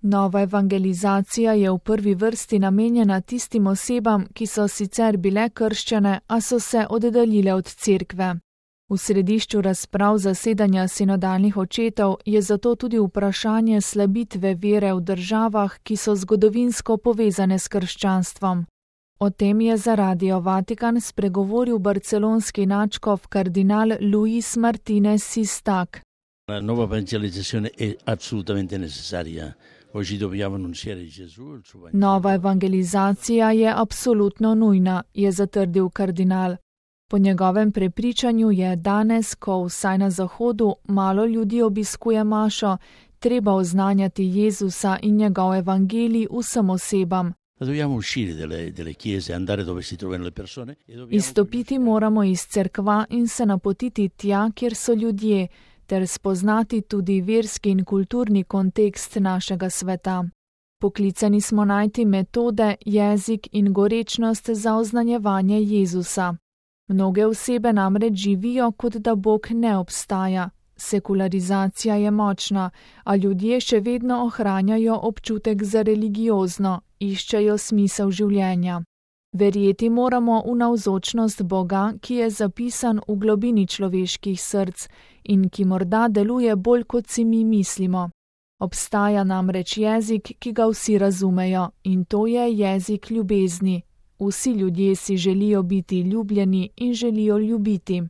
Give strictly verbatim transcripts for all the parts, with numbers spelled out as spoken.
Nova evangelizacija je v prvi vrsti namenjena tistim osebam, ki so sicer bile krščene, a so se oddaljile od cerkve. V središču razprav zasedanja sinodalnih očetov je zato tudi vprašanje slabitve vere v državah, ki so zgodovinsko povezane s krščanstvom. O tem je za Radio Vatikan spregovoril barcelonski nadškof kardinal Luis Martinez Sistak. La nuova evangelizzazione è assolutamente necessaria. Oggi dobbiamo annunciare Gesù il suo Vangelo. Nova evangelizacija je absolutno nujna, je zatrdil kardinal. Po njegovem prepričanju je danes, ko vsaj na Zahodu malo ljudi obiskuje mašo, treba oznanjati Jezusa in njegov evangelij vsem osebam. Izstopiti moramo iz cerkva in se napotiti tja, kjer so ljudje, ter spoznati tudi verski in kulturni kontekst našega sveta. Poklicani smo najti metode, jezik in gorečnost za oznanjevanje Jezusa. Mnoge osebe namreč živijo, kot da Bog ne obstaja. Sekularizacija je močna, a ljudje še vedno ohranjajo občutek za religiozno, iščejo smisel življenja. Verjeti moramo v navzočnost Boga, ki je zapisan v globini človeških src in ki morda deluje bolj, kot si mi mislimo. Obstaja namreč jezik, ki ga vsi razumejo, in to je jezik ljubezni. Vsi ljudje si želijo biti ljubljeni in želijo ljubiti.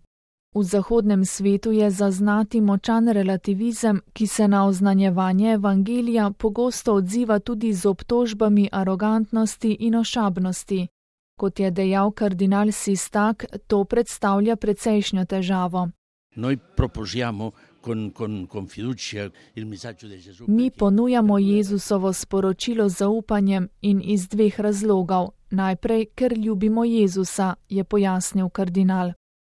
V zahodnem svetu je zaznati močan relativizem, ki se na oznanjevanje evangelija pogosto odziva tudi z obtožbami arogantnosti in ošabnosti. Kot je dejal kardinal Sistak, to predstavlja precejšnjo težavo. Noi proposiamo con, con, con fiducia il messaggio di Gesù. Mi ponujamo Jezusovo sporočilo z zaupanjem in iz dveh razlogov. Najprej, ker ljubimo Jezusa, je pojasnil kardinal.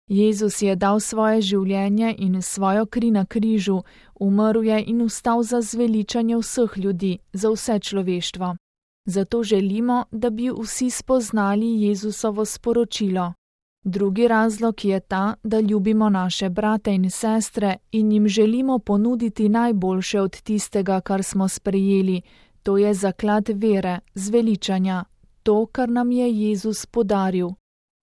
Jezus je dal svoje življenje in svojo kri na križu, umrl je in vstal za zveličanje vseh ljudi, za vse človeštvo. Zato želimo, da bi vsi spoznali Jezusovo sporočilo. Drugi razlog je ta, da ljubimo naše brate in sestre in jim želimo ponuditi najboljše od tistega, kar smo sprejeli, to je zaklad vere, zveličanja, to, kar nam je Jezus podaril.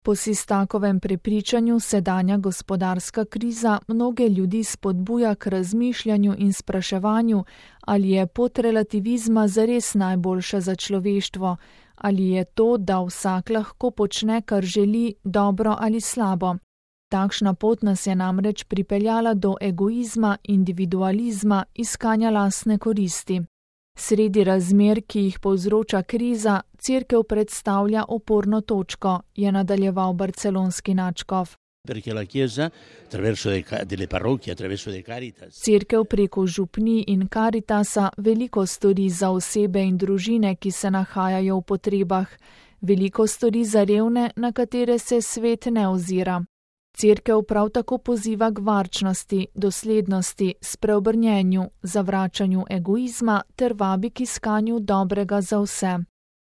Po Sistakovem prepričanju sedanja gospodarska kriza mnoge ljudi spodbuja k razmišljanju in spraševanju, ali je pot relativizma zares najboljša za človeštvo, ali je to, da vsak lahko počne, kar želi, dobro ali slabo. Takšna pot nas je namreč pripeljala do egoizma, individualizma, iskanja lastne koristi. Sredi razmer, ki jih povzroča kriza, cerkev predstavlja oporno točko, je nadaljeval barcelonski nadškof. Cerkev preko župnij in Karitasa veliko stori za osebe in družine, ki se nahajajo v potrebah, veliko stori za revne, na katere se svet ne ozira. Cerkev prav tako poziva k varčnosti, doslednosti, spreobrnjenju, zavračanju egoizma ter vabi k iskanju dobrega za vse.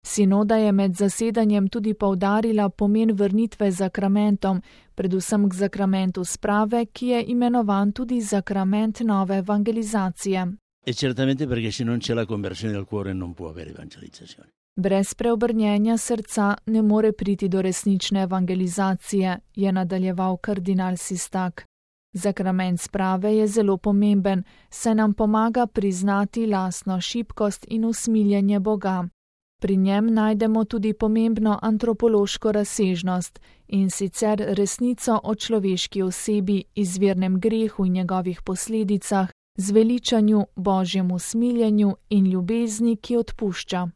Sinoda je med zasedanjem tudi poudarila pomen vrnitve zakramentom, predvsem k zakramentu sprave, ki je imenovan tudi zakrament nove evangelizacije. E certamente perché se non c'è la conversione del cuore non può avere evangelizzazione. Brez preobrnjenja srca ne more priti do resnične evangelizacije, je nadaljeval kardinal Sistak. Zakrament sprave je zelo pomemben, saj nam pomaga priznati lastno šibkost in usmiljenje Boga. Pri njem najdemo tudi pomembno antropološko razsežnost, in sicer resnico o človeški osebi, izvirnem grehu in njegovih posledicah, zveličanju, božjemu smiljenju in ljubezni, ki odpušča.